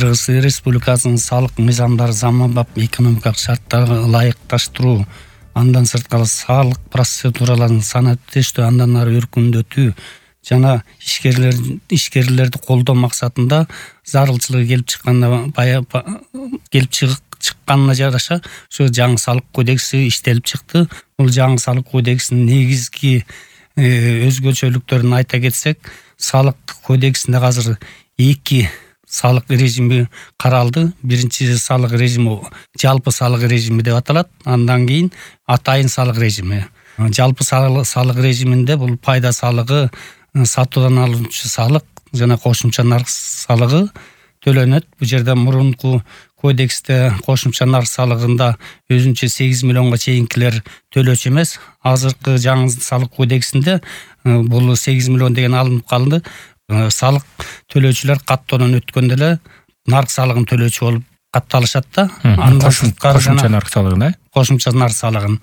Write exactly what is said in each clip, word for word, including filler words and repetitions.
Кыргыз Республикасынын салык мыйзамдары заманбап экономикалык шарттарга ылайыкташтыруу, андан сырткары салык процедураларын санаттештүү, андан ары өркүндөтүү жана ишкерлер ишкерлерди колдоо максатында зарылчылыгы келип чыкканда бая келип чыкканына жараша ошо жаңы салык кодекси иштелип чыкты. Бул жаңы салык кодексинин негизги өзгөчөлүктөрүн айта кетсек, салык кодексинде азыр эки салык режими каралды. Биринчи салык режими жалпы салык режими деп аталат. Андан кийин атайын салык режими. Жалпы салык режиминде бул пайда салыгы, сатуудан алынчу салык жана кошумча нарк салыгы төлөнөт. Бул жерде мурунку кодексте кошумча нарк салыгында өзүнчө сегиз миллионго чейинкилер төлөөчү эмес. Азыркы жаңы салык кодексинде бул сегиз миллион деген алынып калды. Салык төлөөчүлөр каттоодон өткөндө эле нарк салыгын төлөөчү болуп катталышат да. Андан кошумча нарк салыгын, кошумча нарк салыгын.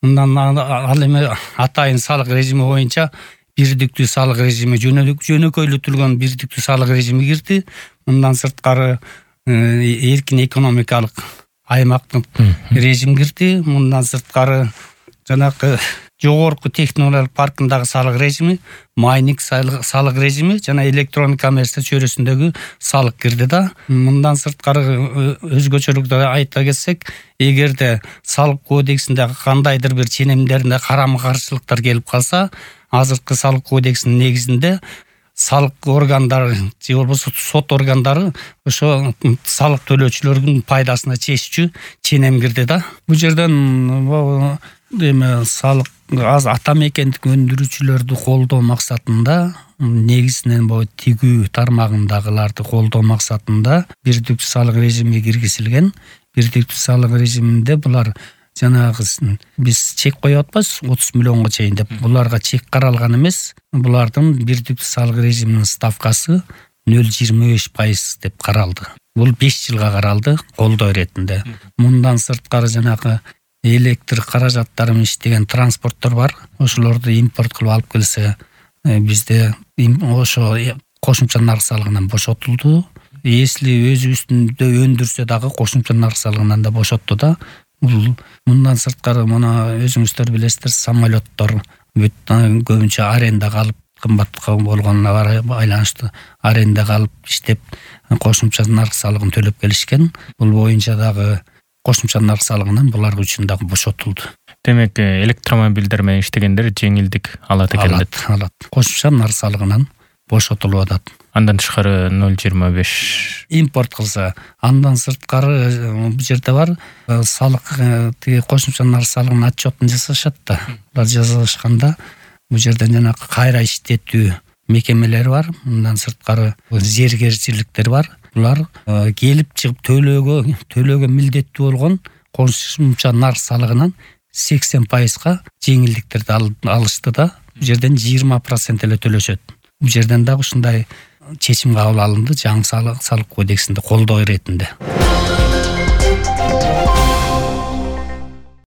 Мындан ал эми атайын салык режими боюнча бирдиктүү салык режими, жөнөкөйлөтүлгөн бирдиктүү салык режими кирди. Мындан сырткары эркин экономикалык аймактык режим кирди. Мындан сырткары жанагы жогорку технологиялык паркындагы салык режими, майнинг салык режими жана электрондук коммерция чөйрөсүндөгү салык кирди да. Мындан сырткары өзгөчөлүктөрдү айта кетсек, эгерде салык кодексинде кандайдыр бир ченемдеринде карама каршылыктар келип калса, азыркы салык кодексинин негизинде салык органдары же болбосо сот органдары ошо салык төлөөчүлөрдүн пайдасына чечүүчү ченем кирди да. Бул жерден эме салык аз ата мекендик өндүрүүчүлөрдү колдоо максатында, негизинен бул тигүү тармагындагыларды колдоо максатында бирдиктүү салык режими киргизилген. Бирдиктүү салык режиминде булар жанагы биз чек коюп атпайбыз отуз миллионго чейин деп. Буларга чек каралган эмес. Булардын бирдиктүү салык режиминин ставкасы нөл жыйырма беш пайыз деп каралды. Бул беш жылга каралды колдоо иретинде. Мындан сырткары жанагы электр каражаттары менен иштеген транспорттор бар. Ошолорду импорт кылып алып келсе, бизде ошо кошумча нарк салыгынан бошотулду. Если өзүбүздө өндүрсө дагы кошумча нарк салыгынан да бошотту да. Мындан сырткары мына өзүңүздөр билесиздер, самолеттор көбүнчө арендага алып, кымбат болгонуна байланыштуу арендага алып иштеп кошумча нарк салыгын төлөп келишкен. Бул боюнча дагы кошумча нарк салыгынан булар үчүн дагы бошотулду. Демек, электромобилдер менен иштегендер жеңилдик алат экен деп. Алат. Кошумча нарк салыгынан бошотулуп атат. Андан тышкары нөл жыйырма беш импорт кылса, андан сырткары бул жерде бар салык, тиги кошумча нарк салыгынын отчетун жасашат да. Булар жасашканда бул жерден жана кайра иштетүү мекемелери бар. Мындан сырткары зергерчиликтер бар. Булар келип чыгып төлөөгө төлөөгө милдеттүү болгон кошумча нарк салыгынан сексен пайызга жеңилдиктерди алышты да. Бул жерден жыйырма процент эле төлөшөт. Бул жерден дагы ушундай чечим кабыл алынды жаңы салык кодексинде колдоо иретинде.